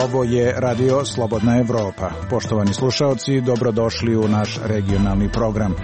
Ovo je Radio Slobodna Evropa. Poštovani slušaoci, dobrodošli u naš regionalni program.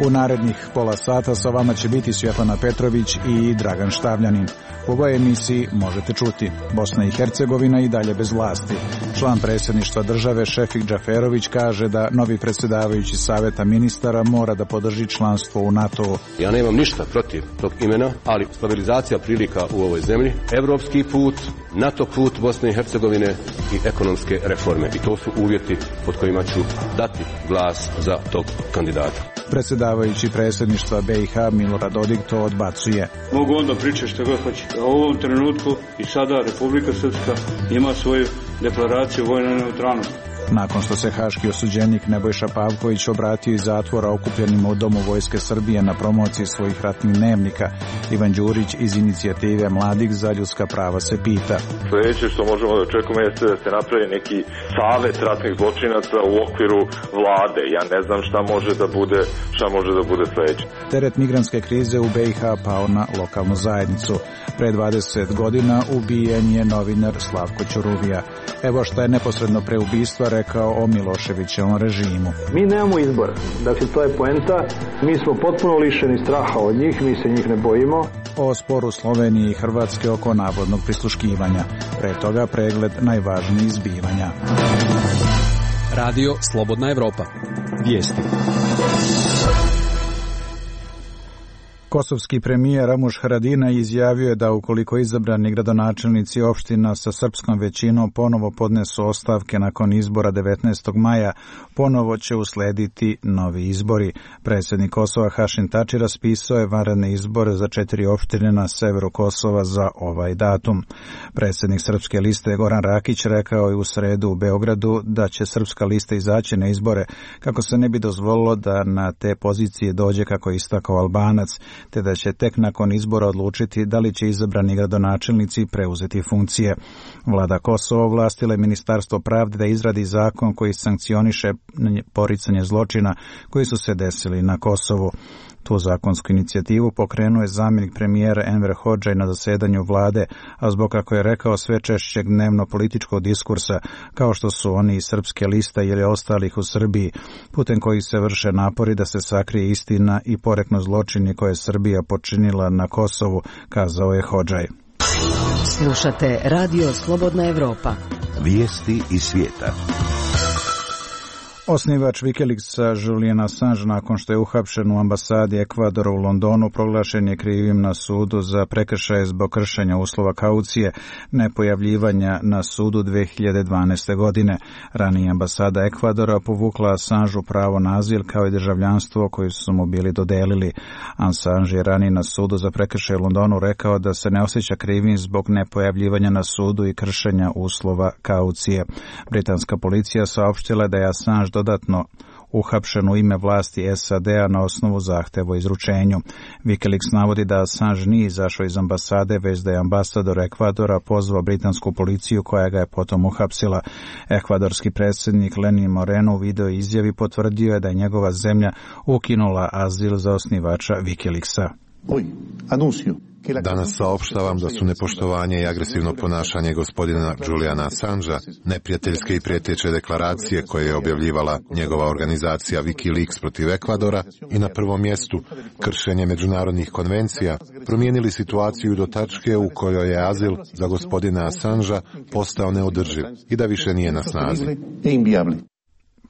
U narednih pola sata sa vama će biti Svjetlana Petrović i Dragan Štavljanin. U ovoj emisiji možete čuti: Bosna i Hercegovina i dalje bez vlasti. Član predsjedništva države Šefik Džaferović kaže da novi predsjedavajući Saveta ministara mora da podrži članstvo u NATO-u. Ja nemam ništa protiv tog imena, ali stabilizacija prilika u ovoj zemlji, evropski put, NATO put Bosne i Hercegovine i ekonomske reforme. I to su uvjeti pod kojima ću dati glas za tog kandidata. Predsjedavajući predsjedništva BiH Milorad Dodik to odbacuje. Mogu onda pričati što god hoće. U ovom trenutku i sada Republika Srpska ima svoju deklaraciju vojne neutralnosti. Nakon što se haški osuđenik Nebojša Pavković obratio iz zatvora okupljenima u Domu Vojske Srbije na promociji svojih ratnih dnevnika, Ivan Đurić iz inicijative Mladih za ljudska prava se pita: Sljedeće što možemo da očekujemo jeste da se napravi neki savet ratnih zločinaca u okviru vlade. Ja ne znam šta može da bude sljedeće. Teret migrantske krize u BiH pao na lokalnu zajednicu. Pre 20 godina ubijen je novinar Slavko Ćuruvija. Evo šta je neposredno pre ubistva rekao o Miloševićevom režimu. Mi nemamo izbora. Dakle, to je poenta. Mi smo potpuno lišeni straha od njih, mi se njih ne bojimo. O sporu Slovenije i Hrvatske oko navodnog prisluškivanja. Pre toga pregled najvažnijih zbivanja. Radio Slobodna Evropa. Vijesti. Kosovski premijer Ramuš Haradinaj izjavio je da ukoliko izabrani gradonačelnici opština sa srpskom većinom ponovo podnesu ostavke nakon izbora 19. maja, ponovo će uslediti novi izbori. Predsjednik Kosova Hašim Tači raspisao je vanredne izbore za 4 opštine na severu Kosova za ovaj datum. Predsjednik Srpske liste Goran Rakić rekao je u sredu u Beogradu da će Srpska lista izaći na izbore kako se ne bi dozvolilo da na te pozicije dođe, kako je istakao Albanac, te da će tek nakon izbora odlučiti da li će izabrani gradonačelnici preuzeti funkcije. Vlada Kosova ovlastila je Ministarstvo pravde da izradi zakon koji sankcioniše poricanje zločina koji su se desili na Kosovu. Tu zakonsku inicijativu pokrenuo je zamjenik premijera Enver Hodžaj na zasedanju vlade, a zbog, kako je rekao, sve češćeg dnevno političkog diskursa, kao što su oni iz Srpske liste ili ostalih u Srbiji, putem kojih se vrše napori da se sakrije istina i poreknu zločini koje je Srbija počinila na Kosovu, kazao je Hodžaj. Slušate Radio Slobodna Evropa. Vijesti iz svijeta. Osnivač Wikileaksa Julian Assange, nakon što je uhapšen u ambasadi Ekvadora u Londonu, proglašen je krivim na sudu za prekršaje zbog kršenja uslova kaucije nepojavljivanja na sudu 2012. godine. Ranije ambasada Ekvadora povukla Assangeu pravo na azil kao i državljanstvo koje su mu bili dodelili. Assange je ranije na sudu za prekršaje u Londonu rekao da se ne osjeća krivim zbog nepojavljivanja na sudu i kršenja uslova kaucije. Britanska policija saopštila da je Assange dodatno uhapšen u ime vlasti SAD-a na osnovu zahteva o izručenju. Wikileaks navodi da Assange nije izašao iz ambasade, već da je ambasador Ekvadora pozvao britansku policiju koja ga je potom uhapsila. Ekvadorski predsjednik Lenin Moreno u video izjavi potvrdio je da je njegova zemlja ukinula azil za osnivača Wikileaksa. Danas saopštavam da su nepoštovanje i agresivno ponašanje gospodina Juliana Assangea, neprijateljske i prijeteće deklaracije koje je objavljivala njegova organizacija Wikileaks protiv Ekvadora i na prvom mjestu kršenje međunarodnih konvencija promijenili situaciju do tačke u kojoj je azil za gospodina Assangea postao neodrživ i da više nije na snazi.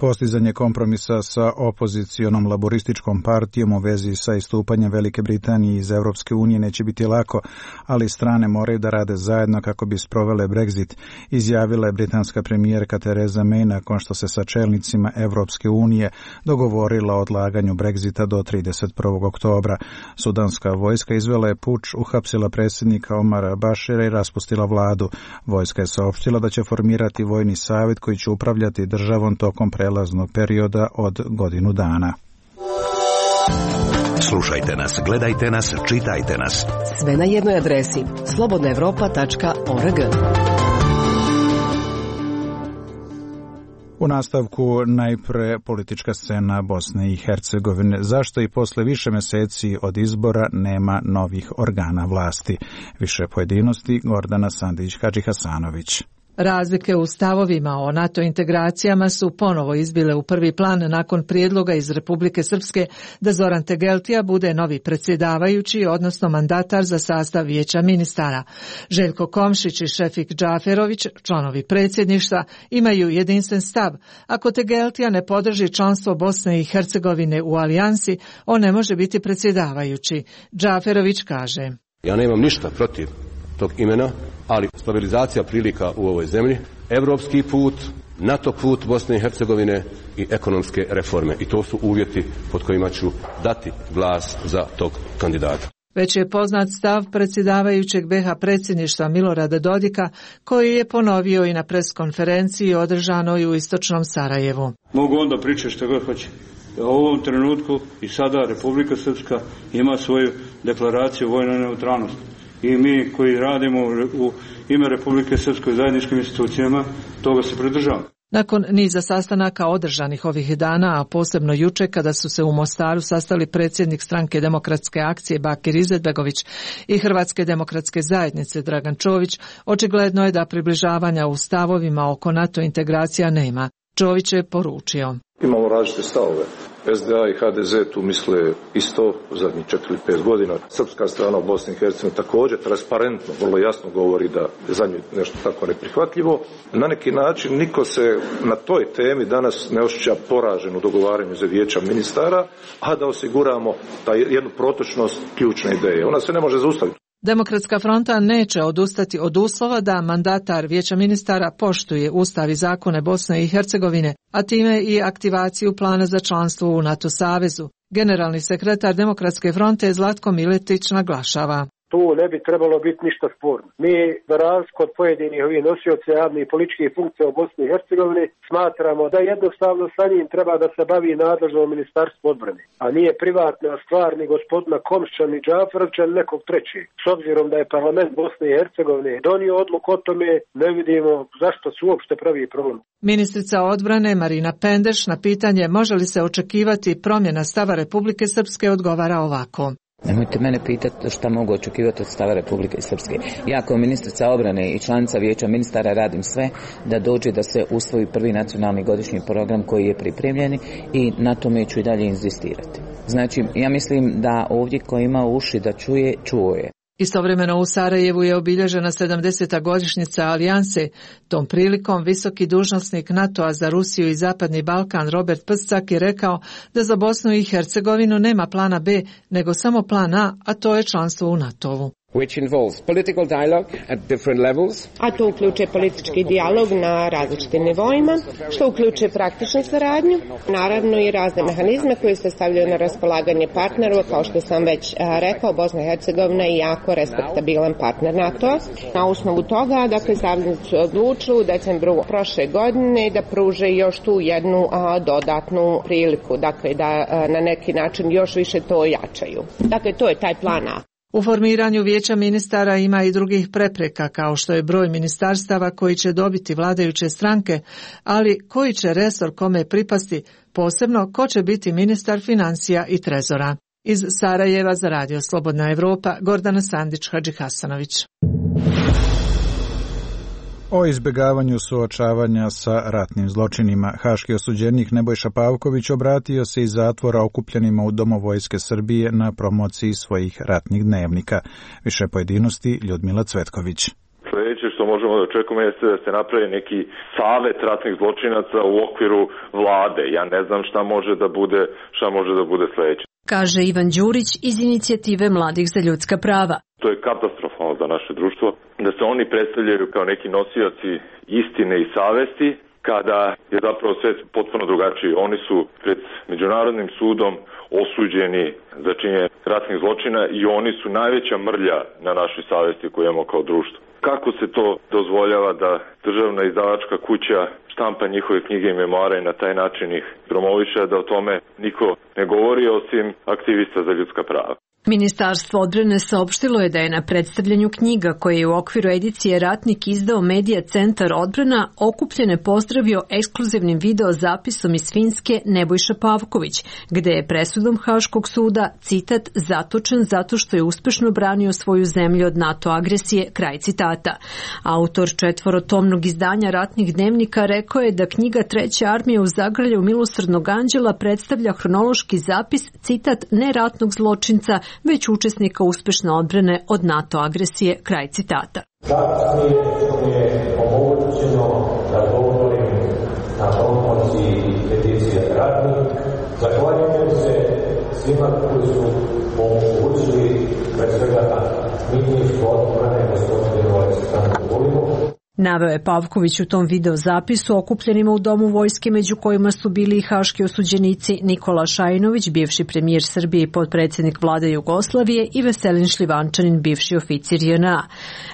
Postizanje kompromisa sa opozicionom laborističkom partijom u vezi sa istupanjem Velike Britanije iz Evropske unije neće biti lako, ali strane moraju da rade zajedno kako bi sprovele Brexit, izjavila je britanska premijerka Theresa May nakon što se sa čelnicima Evropske unije dogovorila o odlaganju Brexita do 31. oktobra. Sudanska vojska izvela je puč, uhapsila predsjednika Omara Bašira i raspustila vladu. Vojska je saopštila da će formirati vojni savjet koji će upravljati državom tokom prelaznog perioda od godinu dana. Slušajte nas, gledajte nas, čitajte nas. Sve na jednoj adresi – slobodnaevropa.org. 1. U nastavku najpre politička scena Bosne i Hercegovine. Zašto i posle više meseci od izbora nema novih organa vlasti? Više pojedinosti Gordana Sandić-Hadžihasanović. Razlike u stavovima o NATO integracijama su ponovo izbile u prvi plan nakon prijedloga iz Republike Srpske da Zoran Tegeltija bude novi predsjedavajući, odnosno mandatar za sastav vijeća ministara. Željko Komšić i Šefik Džaferović, članovi predsjedništva, imaju jedinstven stav. Ako Tegeltija ne podrži članstvo Bosne i Hercegovine u alijansi, on ne može biti predsjedavajući. Džaferović kaže: Ja nemam ništa protiv tog imena, ali stabilizacija prilika u ovoj zemlji, evropski put, NATO put Bosne i Hercegovine i ekonomske reforme. I to su uvjeti pod kojima ću dati glas za tog kandidata. Već je poznat stav predsjedavajućeg BiH predsjedništva Milorada Dodika, koji je ponovio i na preskonferenciji održanoj u istočnom Sarajevu. Mogu onda pričati što god hoće. U ovom trenutku i sada Republika Srpska ima svoju deklaraciju vojne neutralnosti. I mi koji radimo u ime Republike Srpske u zajedničkim institucijama, toga se pridržavamo. Nakon niza sastanaka održanih ovih dana, a posebno juče kada su se u Mostaru sastali predsjednik Stranke demokratske akcije Bakir Izetbegović i Hrvatske demokratske zajednice Dragan Čović, očigledno je da približavanja u stavovima oko NATO integracija nema. Čović je poručio: Imamo različite stavove. SDA i HDZ tu misle isto zadnjih 4 ili 5 godina. Srpska strana u Bosni i Hercegovini također transparentno, vrlo jasno govori da je za nju nešto tako neprihvatljivo. Na neki način niko se na toj temi danas ne osjeća poražen u dogovaranju za vijeća ministara, a da osiguramo jednu protočnost ključne ideje. Ona se ne može zaustaviti. Demokratska fronta neće odustati od uslova da mandatar vijeća ministara poštuje ustav i zakone Bosne i Hercegovine, a time i aktivaciju plana za članstvo u NATO savezu. Generalni sekretar Demokratske fronte Zlatko Miletić naglašava: Tu ne bi trebalo biti ništa sporno. Mi, za razliku od pojedinih ovih nosioca javnih političkih funkcija u Bosni i Hercegovini, smatramo da jednostavno sa njim treba da se bavi nadležno Ministarstvo odbrane, a nije privatna stvar ni gospodina Komšića, ni Džaferovića, ni nekog trećeg. S obzirom da je parlament Bosne i Hercegovine donio odluku o tome, ne vidimo zašto se uopšte pravi problem. Ministrica odbrane Marina Pendeš na pitanje može li se očekivati promjena stava Republike Srpske odgovara ovako: Nemojte mene pitati šta mogu očekivati od stava Republike Srpske. Ja kao ministrica obrane i članica vijeća ministara radim sve da dođe da se usvoji prvi nacionalni godišnji program koji je pripremljen i na tome ću i dalje inzistirati. Znači, ja mislim da ovdje ko ima uši da čuje, čuo je. Istovremeno u Sarajevu je obilježena 70. godišnjica alijanse. Tom prilikom visoki dužnosnik NATO-a za Rusiju i Zapadni Balkan Robert Pscak je rekao da za Bosnu i Hercegovinu nema plana B, nego samo plan A to je članstvo u NATO-u. Which involves political dialogue at different levels. A to uključuje politički dijalog na različitim nivoima, što uključuje praktičnu saradnju, naravno i razne mehanizme koji se stavljaju na raspolaganje partnerova, kao što sam već rekao, Bosna i Hercegovina je jako respektabilan partner NATO. Na osnovu toga, dakle, saveznici odlučili u decembru prošle godine da pruže još tu jednu dodatnu priliku, dakle, da na neki način još više to ojačaju. Dakle, to je taj plan A. U formiranju vijeća ministara ima i drugih prepreka, kao što je broj ministarstava koji će dobiti vladajuće stranke, ali koji će resor kome pripasti, posebno ko će biti ministar financija i trezora. Iz Sarajeva za Radio Slobodna Evropa, Gordana Sandić-Hadžihasanović. O izbjegavanju suočavanja sa ratnim zločinima, haški osuđenik Nebojša Pavković obratio se iz zatvora okupljenima u Domu Vojske Srbije na promociji svojih ratnih dnevnika. Više pojedinosti Ljudmila Cvetković. Sljedeće što možemo da očekujemo jeste da se napravi neki savet ratnih zločinaca u okviru vlade. Ja ne znam šta može da bude sljedeće. Kaže Ivan Đurić iz inicijative Mladih za ljudska prava. To je katastrofalno za naše društvo, da se oni predstavljaju kao neki nosioci istine i savesti, kada je zapravo sve potpuno drugačije. Oni su pred Međunarodnim sudom osuđeni za činjenje ratnih zločina i oni su najveća mrlja na našoj savesti koju imamo kao društvo. Kako se to dozvoljava da državna izdavačka kuća štampa njihove knjige i memoare i na taj način ih promoviše, da o tome niko ne govori osim aktivista za ljudska prava? Ministarstvo odbrane saopštilo je da je na predstavljanju knjiga koje je u okviru edicije Ratnik izdao Medija centar odbrana okupljene pozdravio ekskluzivnim video zapisom iz Finske Nebojša Pavković, gde je presudom Haškog suda, citat, zatočen zato što je uspešno branio svoju zemlju od NATO agresije, kraj citata. Autor 4-tomnog izdanja Ratnih dnevnika rekao je da knjiga Treća armija u zagrljaju Milosrdnog anđela predstavlja hronološki zapis, citat, neratnog zločinca, već učesnika uspešne odbrane od NATO agresije, kraj citata. Čast mi je što mi je omogućeno da govorim na promociji edicije Ratnik. Zahvaljujem se svima koji su omogućili pre svega ministarstvo odbrane gospodinu Aleksandru Vulinu. Naveo je Pavković u tom video zapisu okupljenima u Domu vojske, među kojima su bili i haški osuđenici Nikola Šajinović, bivši premijer Srbije i potpredsjednik vlade Jugoslavije, i Veselin Šljivančanin, bivši oficir JNA.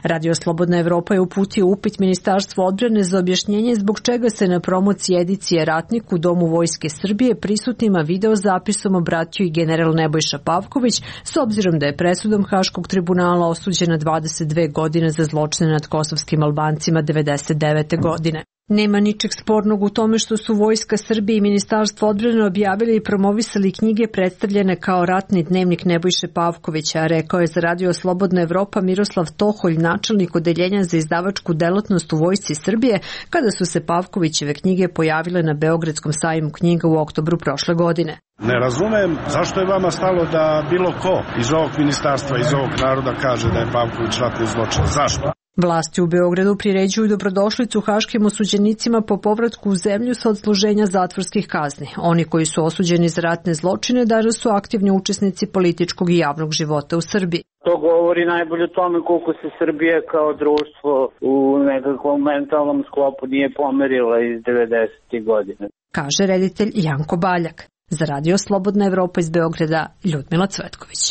Radio Slobodna Evropa je uputio upit Ministarstvu odbrane za objašnjenje zbog čega se na promociji edicije Ratnik u Domu vojske Srbije prisutnima video zapisom obratio i general Nebojša Pavković, s obzirom da je presudom Haškog tribunala osuđena 22 godine za zločine nad kosovskim Albancima 1999. godine. Nema ničeg spornog u tome što su Vojska Srbije i Ministarstvo odbrane objavili i promovisali knjige predstavljene kao Ratni dnevnik Nebojše Pavkovića, rekao je za Radio Slobodna Evropa Miroslav Toholj, načelnik odeljenja za izdavačku delatnost u Vojsci Srbije, kada su se Pavkovićeve knjige pojavile na Beogradskom sajmu knjiga u oktobru prošle godine. Ne razumem zašto je vama stalo da bilo ko iz ovog ministarstva, iz ovog naroda kaže da je Pavković ratni zločin. Zašto? Vlasti u Beogradu priređuju dobrodošlicu haškim osuđenicima po povratku u zemlju sa odsluženja zatvorskih kazni. Oni koji su osuđeni za ratne zločine danas su aktivni učesnici političkog i javnog života u Srbiji. To govori najbolje o tome koliko se Srbija kao društvo u nekakvom mentalnom sklopu nije pomerila iz 90. godine. Kaže reditelj Janko Baljak. Za Radio Slobodna Evropa iz Beograda, Ljudmila Cvetković.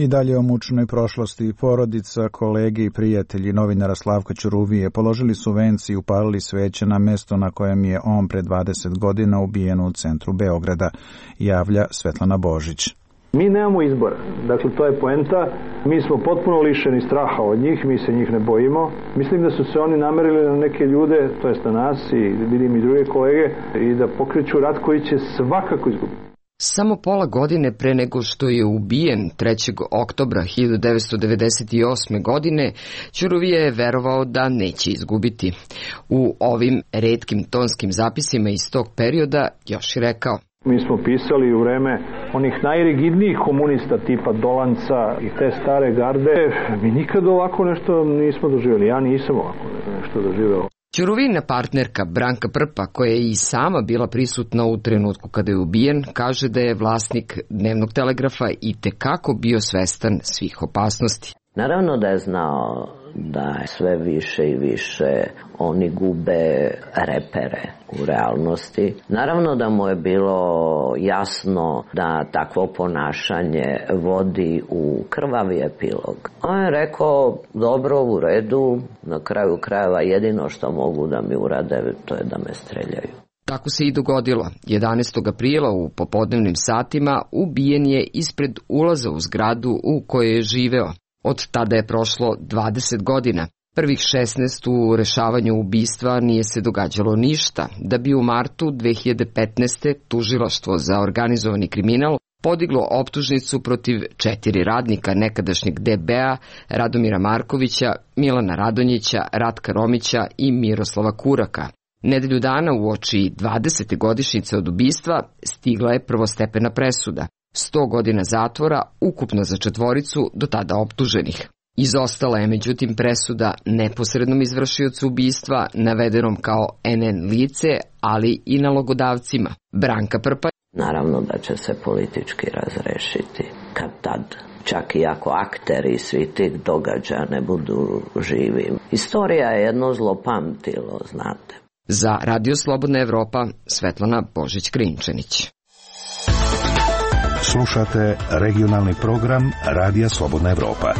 I dalje o mučnoj prošlosti. Porodica, kolege i prijatelji novinara Slavka Ćuruvije položili su venci i upalili sveće na mesto na kojem je on pre 20 godina ubijen u centru Beograda, javlja Svetlana Božić. Mi nemamo izbora, dakle to je poenta, mi smo potpuno lišeni straha od njih, mi se njih ne bojimo. Mislim da su se oni namerili na neke ljude, to jest na nas i vidim i druge kolege, i da pokreću rat koji će svakako izgubiti. Samo pola godine pre nego što je ubijen 3. oktobra 1998. godine, Ćuruvije je verovao da neće izgubiti. U ovim retkim tonskim zapisima iz tog perioda još je rekao: Mi smo pisali u vreme onih najrigidnijih komunista tipa Dolanca i te stare garde. Mi nikad ovako nešto nismo doživjeli. Ja nisam ovako nešto doživjela. Ćuruvina partnerka Branka Prpa, koja je i sama bila prisutna u trenutku kada je ubijen, kaže da je vlasnik Dnevnog telegrafa i tekako bio svestan svih opasnosti. Naravno da je znao da sve više i više oni gube repere u realnosti. Naravno da mu je bilo jasno da takvo ponašanje vodi u krvavi epilog. On je rekao, dobro, u redu, na kraju krajeva jedino što mogu da mi urade, to je da me streljaju. Tako se i dogodilo. 11. aprila u popodnevnim satima ubijen je ispred ulaza u zgradu u kojoj je živeo. Od tada je prošlo 20 godina. Prvih 16 u rešavanju ubistva nije se događalo ništa, da bi u martu 2015. tužilaštvo za organizovani kriminal podiglo optužnicu protiv 4 radnika nekadašnjeg DB-a, Radomira Markovića, Milana Radonjića, Ratka Romića i Miroslava Kuraka. Nedelju dana uoči 20. godišnjice od ubistva stigla je prvostepena presuda. 100 godina zatvora ukupno za 4 do tada optuženih. Izostala je međutim presuda neposrednom izvršiocu ubistva, navedenom kao NN lice, ali i nalogodavcima. Branka Prpa: Naravno da će se politički razrešiti kad tad, čak i ako akteri svi tih događaja ne budu živi. Istorija je jedno zlopamtilo, znate. Za Radio Slobodna Evropa, Svetlana Božić-Krinčanić. Slušate regionalni program Radija Slobodna Evropa.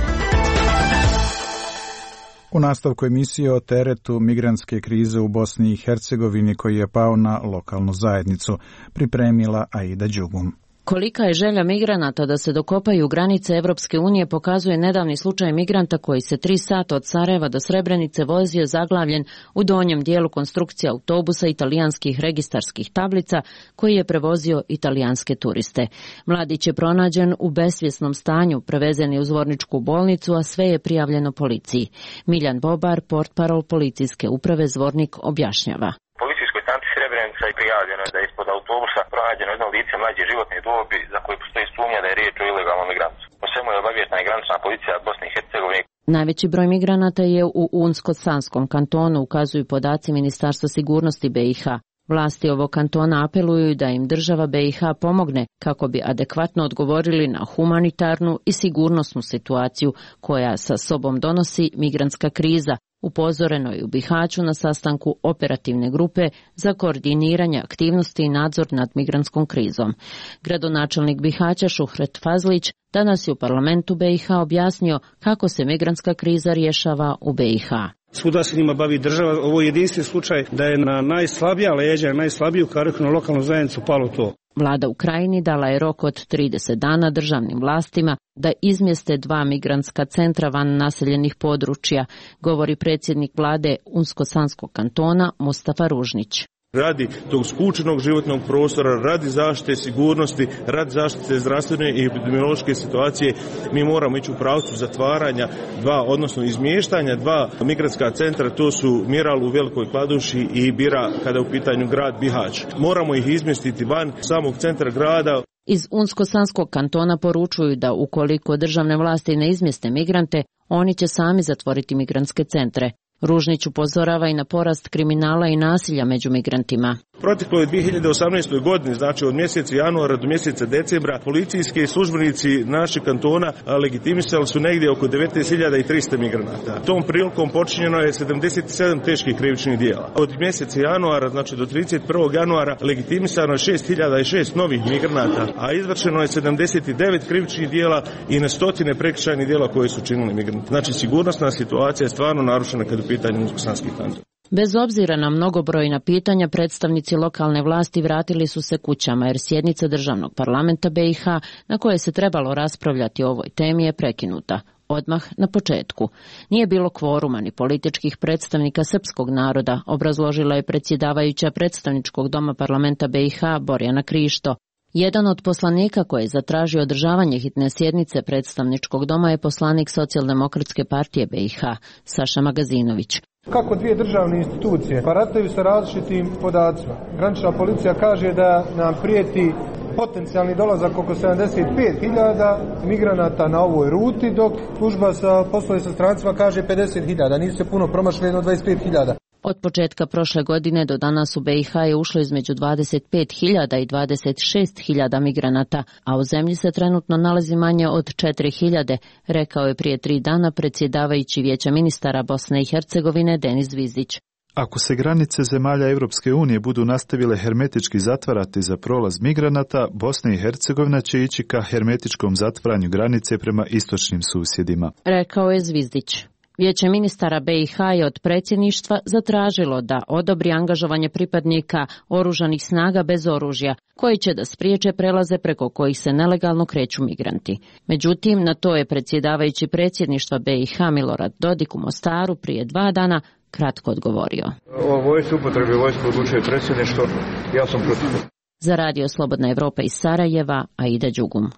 U nastavku emisije o teretu migrantske krize u Bosni i Hercegovini koji je pao na lokalnu zajednicu, pripremila Aida Đugum. Kolika je želja migranata da se dokopaju granice Evropske unije pokazuje nedavni slučaj migranta koji se 3 sata od Sarajeva do Srebrenice vozio zaglavljen u donjem dijelu konstrukcije autobusa italijanskih registarskih tablica koji je prevozio italijanske turiste. Mladić je pronađen u besvjesnom stanju, prevezen je u Zvorničku bolnicu, a sve je prijavljeno policiji. Miljan Bobar, portparol policijske uprave Zvornik, objašnjava. Srebrenica i prijavljeno je da je ispod autobusa pronađeno jedno lice mlađe životne dobi za koje postoji sumnja da je riječ o ilegalnom migrantu. O svemu je obaviještena i granična policija Bosne i Hercegovine. Najveći broj migranata je u Unsko-Sanskom kantonu, ukazuju podaci Ministarstva sigurnosti BiH. Vlasti ovog kantona apeluju da im država BiH pomogne kako bi adekvatno odgovorili na humanitarnu i sigurnosnu situaciju koja sa sobom donosi migrantska kriza, upozoreno je u Bihaću na sastanku operativne grupe za koordiniranje aktivnosti i nadzor nad migrantskom krizom. Gradonačelnik Bihaća Šuhret Fazlić danas je u parlamentu BiH objasnio kako se migrantska kriza rješava u BiH. Svuda se njima bavi država, ovo je jedinstven slučaj da je na najslabija leđa, najslabiju kariku na lokalnu zajednicu palo to. Vlada u Krajini dala je rok od 30 dana državnim vlastima da izmjeste 2 migrantska centra van naseljenih područja, govori predsjednik vlade Unsko-Sanskog kantona Mustafa Ružnić. Radi tog skučenog životnog prostora, radi zaštite sigurnosti, radi zaštite zdravstvene i epidemiološke situacije, mi moramo ići u pravcu zatvaranja odnosno izmještanja 2 migrantska centra, to su Miral u Velikoj Kladuši i Bira kada je u pitanju grad Bihać. Moramo ih izmjestiti van samog centra grada. Iz Unsko-Sanskog kantona poručuju da ukoliko državne vlasti ne izmjeste migrante, oni će sami zatvoriti migrantske centre. Ružnić upozorava i na porast kriminala i nasilja među migrantima. Proteklo je 2018. godini, znači od mjeseca januara do mjeseca decembra, policijski službenici naših kantona legitimisali su negdje oko 19.300 migranata. Tom prilikom počinjeno je 77 teških krivičnih djela. Od mjeseca januara, znači do 31. januara, legitimisano je 6.006 novih migranata, a izvršeno je 79 krivičnih djela i na stotine prekršajnih djela koje su činili migranti. Znači sigurnosna situacija je stvarno narušena kad je u pitanju Unsko-Sanski kanton. Bez obzira na mnogobrojna pitanja, predstavnici lokalne vlasti vratili su se kućama jer sjednica državnog parlamenta BiH na kojoj se trebalo raspravljati o ovoj temi je prekinuta. Odmah na početku. Nije bilo kvoruma ni političkih predstavnika srpskog naroda, obrazložila je predsjedavajuća predstavničkog doma parlamenta BiH Borjana Krišto. Jedan od poslanika koji je zatražio održavanje hitne sjednice predstavničkog doma je poslanik Socijaldemokratske partije BiH, Saša Magazinović. Kako 2 državne institucije barataju sa različitim podacima. Granična policija kaže da nam prijeti potencijalni dolazak oko 75.000 migranata na ovoj ruti, dok služba sa poslove sa strancima kaže 50.000. Nisu se puno promašili, jedno 25.000. Od početka prošle godine do danas u BiH je ušlo između 25.000 i 26.000 migranata, a u zemlji se trenutno nalazi manje od 4.000, rekao je prije 3 dana predsjedavajući Vijeća ministara Bosne i Hercegovine Denis Zvizdić. Ako se granice zemalja Europske unije budu nastavile hermetički zatvarati za prolaz migranata, Bosna i Hercegovina će ići ka hermetičkom zatvaranju granice prema istočnim susjedima, rekao je Zvizdić. Vijeće ministara BiH je od predsjedništva zatražilo da odobri angažovanje pripadnika oružanih snaga bez oružja, koji će da spriječe prelaze preko kojih se nelegalno kreću migranti. Međutim, na to je predsjedavajući predsjedništva BiH Milorad Dodik u Mostaru prije 2 dana kratko odgovorio. O vojsci upotrebi vojsku odlučuje predsjedništvo, ja sam protiv. Za Radio Slobodna Evropa iz Sarajeva, Aida Đugum.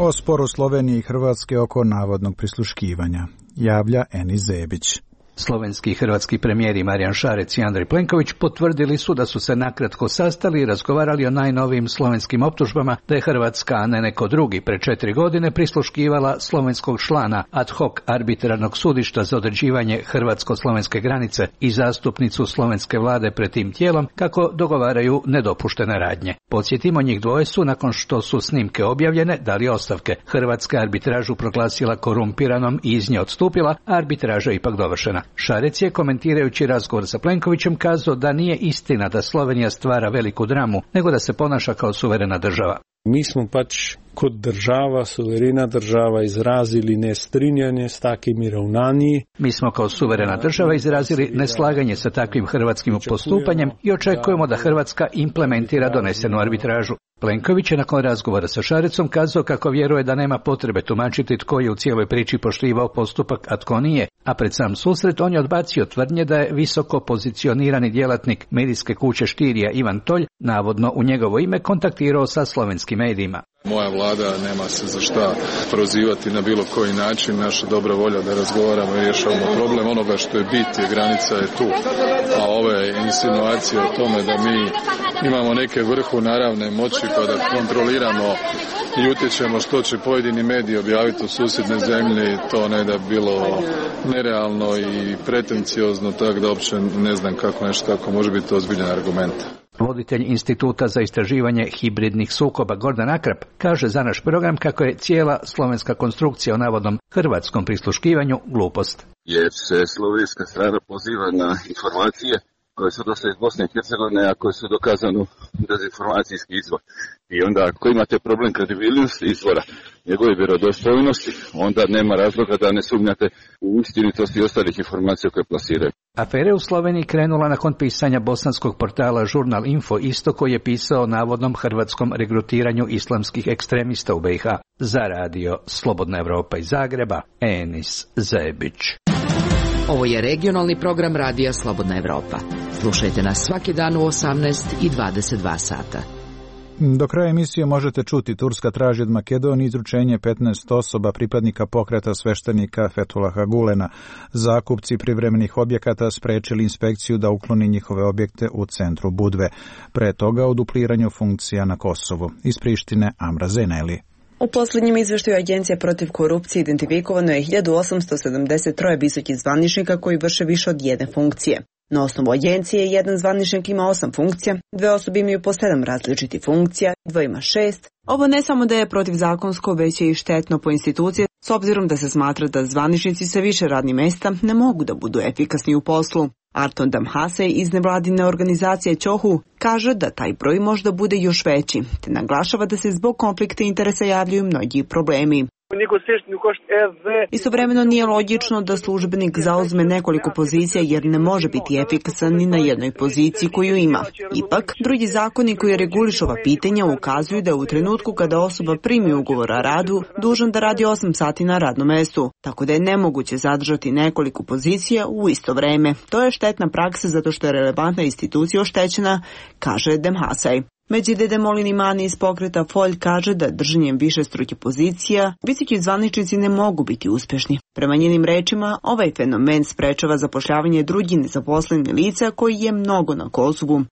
O sporu Slovenije i Hrvatske oko navodnog prisluškivanja javlja Enis Zebić. Slovenski i hrvatski premijeri Marijan Šarec i Andrej Plenković potvrdili su da su se nakratko sastali i razgovarali o najnovijim slovenskim optužbama da je Hrvatska, a ne neko drugi, pre 4 godine prisluškivala slovenskog člana ad hoc arbitrarnog sudišta za određivanje hrvatsko-slovenske granice i zastupnicu slovenske vlade pred tim tijelom kako dogovaraju nedopuštene radnje. Podsjetimo, njih dvoje su, nakon što su snimke objavljene, dali ostavke. Hrvatska arbitražu proglasila korumpiranom i iz nje odstupila, a arbitraža ipak dovršena. Šarec je, komentirajući razgovor sa Plenkovićem, kazao da nije istina da Slovenija stvara veliku dramu, nego da se ponaša kao suverena država. Mi smo pač kot država, suverena država, izrazili nestrinjanje s takimi ravnanji. Mi smo kao suverena država izrazili neslaganje sa takvim hrvatskim postupanjem i očekujemo da Hrvatska implementira donesenu arbitražu. Plenković je nakon razgovora sa Šarecom kazao kako vjeruje da nema potrebe tumačiti tko je u cijeloj priči poštivao postupak, a tko nije, a pred sam susret on je odbacio tvrdnje da je visoko pozicionirani djelatnik medijske kuće Štirija Ivan Tolj, navodno u njegovo ime, kontaktirao sa slovenskim medijima. Moja vlada nema se za šta prozivati na bilo koji način, naša dobra volja da razgovaramo i rješavamo problem. Onoga što je bit je granica je tu, a ove insinuacije o tome da mi imamo neke vrhunaravne moći pa da kontroliramo i utječemo što će pojedini mediji objaviti u susjedne zemlji, to ne da bilo nerealno i pretenciozno, tako da uopće ne znam kako nešto tako može biti ozbiljan argument. Voditelj Instituta za istraživanje hibridnih sukoba Gordan Akrap kaže za naš program kako je cijela slovenska konstrukcija o navodnom hrvatskom prisluškivanju glupost. Jer se slovenska strana poziva na informacije koje su došle iz Bosne i Hercegovine, a koje su dokazano dezinformacijski izvor. I onda ako imate problem kredibilnosti izvora, njegove vjerodostojnosti, onda nema razloga da ne sumnjate u istinitost i ostalih informacija koje plasiraju. Afera u Sloveniji krenula nakon pisanja bosanskog portala Žurnal Info isto koji je pisao o navodnom hrvatskom regrutiranju islamskih ekstremista u BiH. Za radio Slobodna Evropa iz Zagreba, Enis Zebić. Ovo je regionalni program radija Slobodna Evropa. Slušajte nas svaki dan u 18 i 22 sata. Do kraja emisije možete čuti: Turska traži od Makedonije izručenje 15 osoba pripadnika pokreta sveštenika Fethulaha Gulena. Zakupci privremenih objekata sprečili inspekciju da ukloni njihove objekte u centru Budve. Pre toga o dupliranju funkcija na Kosovu. Iz Prištine Amra Zeneli. U posljednjem izveštaju Agencije protiv korupcije identifikovano je 1873 visokih zvaničnika koji vrše više od jedne funkcije. Na osnovu agencije jedan zvaničnik ima 8 funkcija, 2 osobe imaju po 7 različitih funkcija, 2 ima 6. Ovo ne samo da je protivzakonsko, već je i štetno po institucije, s obzirom da se smatra da zvaničnici sa više radnih mjesta ne mogu da budu efikasni u poslu. Arton Damhasej iz nevladine organizacije Ćohu kaže da taj broj možda bude još veći, te naglašava da se zbog konflikta interesa javljaju mnogi problemi. Istovremeno nije logično da službenik zauzme nekoliko pozicija jer ne može biti efikasan ni na jednoj poziciji koju ima. Ipak, drugi zakoni koji regulišu ova pitanja ukazuju da u trenutku kada osoba primi ugovor o radu, dužan da radi 8 sati na radnom mjestu, tako da je nemoguće zadržati nekoliko pozicija u isto vreme. To je štetna praksa zato što je relevantna institucija oštećena, kaže Demhasaj. Međide Demolini Mani iz pokreta Folj kaže da držanjem više struke pozicija visoki zvaničnici ne mogu biti uspješni. Prema njenim rečima, ovaj fenomen sprečava zapošljavanje drugih nezaposlenih lica koji je mnogo na Kosovu.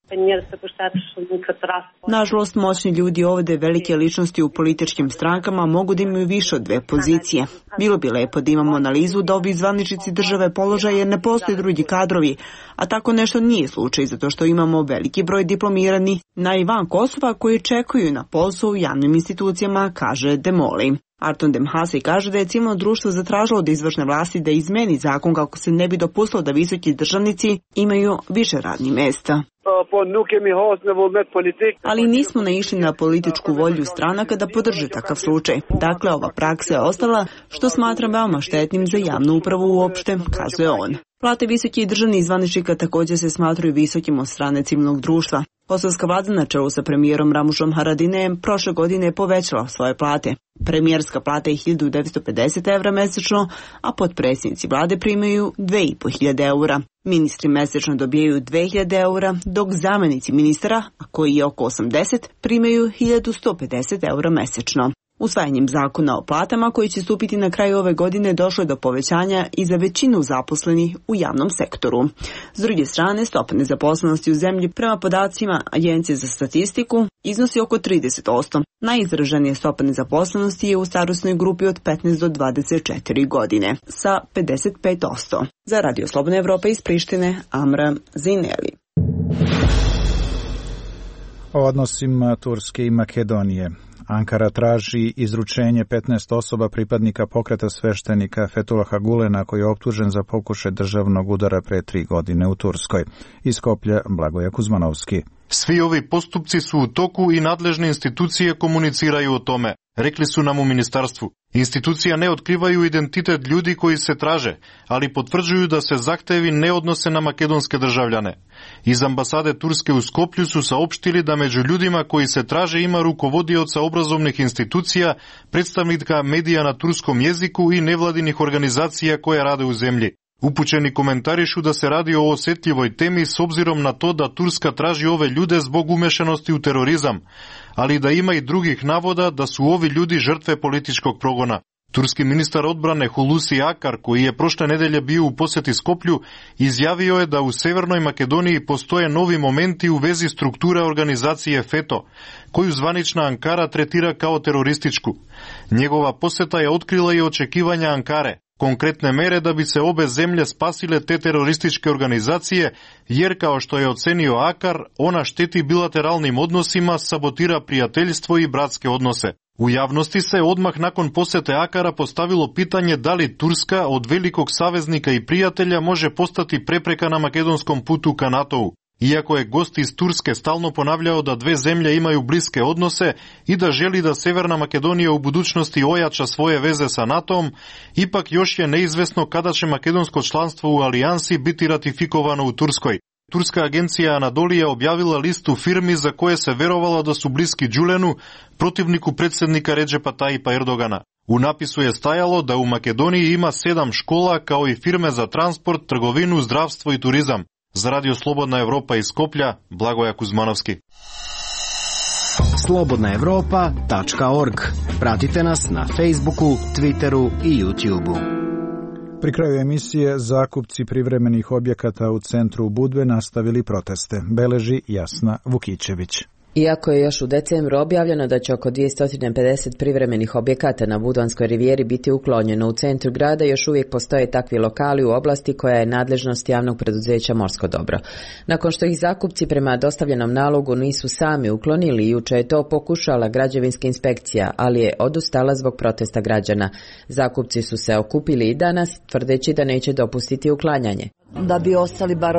Nažalost, moćni ljudi ovdje, velike ličnosti u političkim strankama, mogu da imaju više od 2 pozicije. Bilo bi lepo da imamo analizu da ovi zvaničnici države položaje jer ne postoje drugi kadrovi, a tako nešto nije slučaj zato što imamo veliki broj diplomirani na i van Kosova koji čekuju na posao u javnim institucijama, kaže Demoli. Arton Demhasej kaže da je civilno društvo zatražilo od izvršne vlasti da izmeni zakon kako se ne bi dopustilo da visoki državnici imaju više radnih mjesta. Ali nismo naišli na političku volju stranaka da podrže takav slučaj. Dakle, ova praksa je ostala, što smatram veoma štetnim za javnu upravu uopšte, kazuje on. Plate visokih državnih zvaničnika također se smatruju visokim od strane civilnog društva. Kosovska vlada na čelu sa premijerom Ramušom Haradinajem prošle godine je povećala svoje plate. Premijerska plata je 1950 evra mjesečno, a potpredsjednici vlade primaju 2500 eura. Ministri mjesečno dobijaju 2000 eura, dok zamjenici ministara, a koji je oko 80, primaju 1150 eura mjesečno. Usvajanjem zakona o platama koji će stupiti na kraju ove godine došlo je do povećanja i za većinu zaposlenih u javnom sektoru. S druge strane, stopa nezaposlenosti u zemlji prema podacima Agencije za statistiku iznosi oko 30%. Najizraženija stopa nezaposlenosti je u starosnoj grupi od 15 do 24 godine sa 55%. Za Radio Slobodna Evropa iz Prištine, Amra Zineli. O odnosima Turske i Makedonije. Ankara traži izručenje 15 osoba pripadnika pokreta sveštenika Fethulaha Gulena koji je optužen za pokušaj državnog udara pre 3 godine u Turskoj. Iz Skoplja Blagoje Kuzmanovski. Svi ovi postupci su u toku i nadležne institucije komuniciraju o tome. rekli su nam u ministarstvu. Institucija ne otkrivaju identitet ljudi koji se traže, ali potvrđuju da se zahtevi ne odnose na makedonske državljane. Iz ambasade Turske u Skoplju su saopštili da među ljudima koji se traže ima rukovodioca obrazovnih institucija, predstavnika medija na turskom jeziku i nevladinih organizacija koje rade u zemlji. Upućeni komentarišu da se radi o osjetljivoj temi s obzirom na to da Turska traži ove ljude zbog umešanosti u terorizam, ali da ima i drugih navoda da su ovi ljudi žrtve političkog progona. Turski ministar odbrane Hulusi Akar, koji je prošle nedelje bio u posjeti Skoplju, izjavio je da u Severnoj Makedoniji postoje novi momenti u vezi strukture organizacije FETO, koju zvanična Ankara tretira kao terorističku. Njegova posjeta je otkrila i očekivanja Ankare, konkretne mere da bi se obe zemlje spasile te terorističke organizacije, jer kao što je ocenio Akar, ona šteti bilateralnim odnosima, sabotira prijateljstvo i bratske odnose. U javnosti se odmah nakon posjete Akara postavilo pitanje da li Turska od velikog saveznika i prijatelja može postati prepreka na makedonskom putu ka NATO-u. Iako je gost iz Turske stalno ponavljao da dve zemlje imaju bliske odnose i da želi da Severna Makedonija u budućnosti ojača svoje veze sa NATO-om, ipak još je neizvesno kada će makedonsko članstvo u alijansi biti ratifikovano u Turskoj. Turska agencija Anadolija objavila listu firmi za koje se verovalo da su bliski Đulenu, protivniku predsjednika Redžepa Tajipa Erdogana. U napisu je stajalo da u Makedoniji ima 7 škola kao i firme za transport, trgovinu, zdravstvo i turizam. Za Radio Slobodna Evropa iz Skoplja, Blagoja Kuzmanovski. slobodnaevropa.org. Pratite nas na Facebooku, Twitteru i YouTubeu. Pri kraju emisije zakupci privremenih objekata u centru Budve nastavili proteste, beleži Jasna Vukićević. Iako je još u decembru objavljeno da će oko 250 privremenih objekata na Budvanskoj rivijeri biti uklonjeno u centru grada, još uvijek postoje takvi lokali u oblasti koja je nadležnost javnog preduzeća Morsko dobro. Nakon što ih zakupci prema dostavljenom nalogu nisu sami uklonili, juče je to pokušala građevinska inspekcija, ali je odustala zbog protesta građana. Zakupci su se okupili i danas, tvrdeći da neće dopustiti uklanjanje. Da bi ostali bar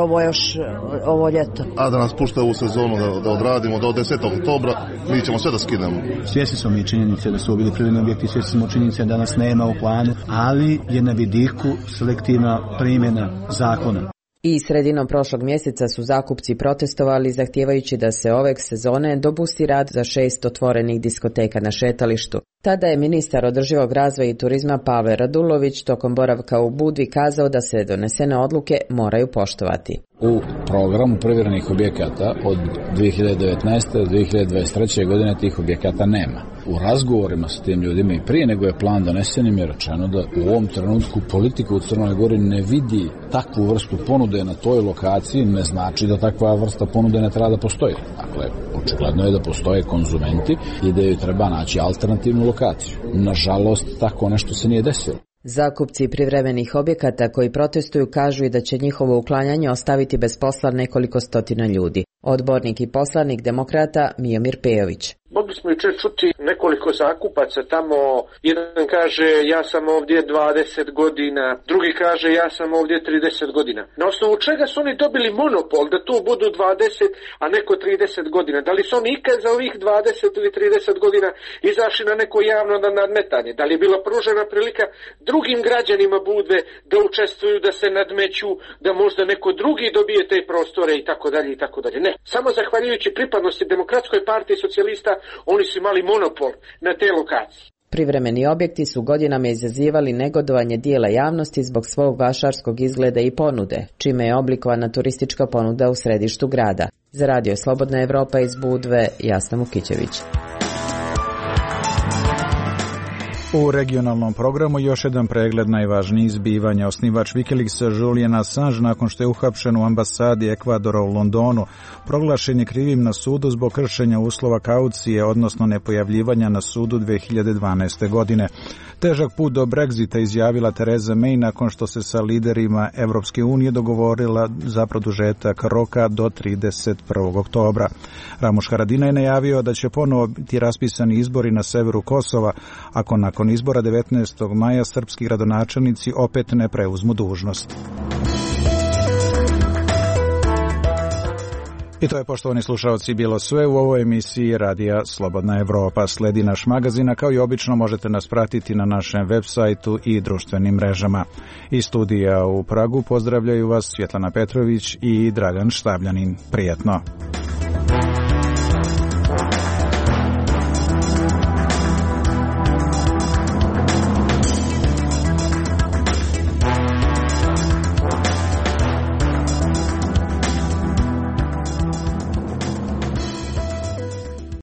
ovo ljeto. A da nas pušta u sezonu da odradimo do 10. oktobra, mi ćemo sve da skinemo. Svjesni smo mi činjenice da su bili privremeni objekti, svjesni smo činjenice da danas nema u planu, ali je na vidiku selektivna primjena zakona. I sredinom prošlog mjeseca su zakupci protestovali zahtijevajući da se ove sezone dopusti rad za 6 otvorenih diskoteka na šetalištu. Tada je ministar održivog razvoja i turizma Pavle Radulović tokom boravka u Budvi kazao da se donesene odluke moraju poštovati. U programu privremenih objekata od 2019. do 2023. godine tih objekata nema. U razgovorima sa tim ljudima i prije nego je plan donesen im je rečeno da u ovom trenutku politika u Crnoj Gori ne vidi takvu vrstu ponude na toj lokaciji, ne znači da takva vrsta ponude ne treba da postoji. Dakle, očigledno je da postoje konzumenti i da joj treba naći alternativnu lokaciju. Nažalost, tako nešto se nije desilo. Zakupci privremenih objekata koji protestuju kažu i da će njihovo uklanjanje ostaviti bez posla nekoliko stotina ljudi. Odbornik i poslanik demokrata Mijomir Pejović. Mogli smo jučer čuti nekoliko zakupaca tamo, jedan kaže ja sam ovdje 20 godina, drugi kaže ja sam ovdje 30 godina. Na osnovu čega su oni dobili monopol da tu budu 20, a neko 30 godina? Da li su oni ikad za ovih 20 ili 30 godina izašli na neko javno nadmetanje? Da li je bila pružena prilika drugim građanima Budve da učestvuju, da se nadmeću, da možda neko drugi dobije te prostore i tako dalje i tako dalje? Ne, samo zahvaljujući pripadnosti Demokratskoj partiji socijalista oni su imali monopol na te lokacije. Privremeni objekti su godinama izazivali negodovanje dijela javnosti zbog svog vašarskog izgleda i ponude, čime je oblikovana turistička ponuda u središtu grada. Za Radio Slobodna Evropa iz Budve, Jasna Vukićević. U regionalnom programu još jedan pregled najvažnijih zbivanja. Osnivač Wikileaksa Julian Assange, nakon što je uhapšen u ambasadi Ekvadora u Londonu, proglašen je krivim na sudu zbog kršenja uslova kaucije, odnosno nepojavljivanja na sudu 2012. godine. Težak put do Brexita izjavila Theresa May nakon što se sa liderima Evropske unije dogovorila za produžetak roka do 31. oktobra. Ramuš Haradinaj je najavio da će ponovo biti raspisani izbori na severu Kosova, ako nakon izbora 19. maja srpski gradonačelnici opet ne preuzmu dužnost. I to je, poštovani slušalci, bilo sve u ovoj emisiji Radija Slobodna Evropa. Sledi naš magazin, a kao i obično možete nas pratiti na našem web sajtu i društvenim mrežama. Iz studija u Pragu pozdravljaju vas Svjetlana Petrović i Dragan Štavljanin. Prijetno!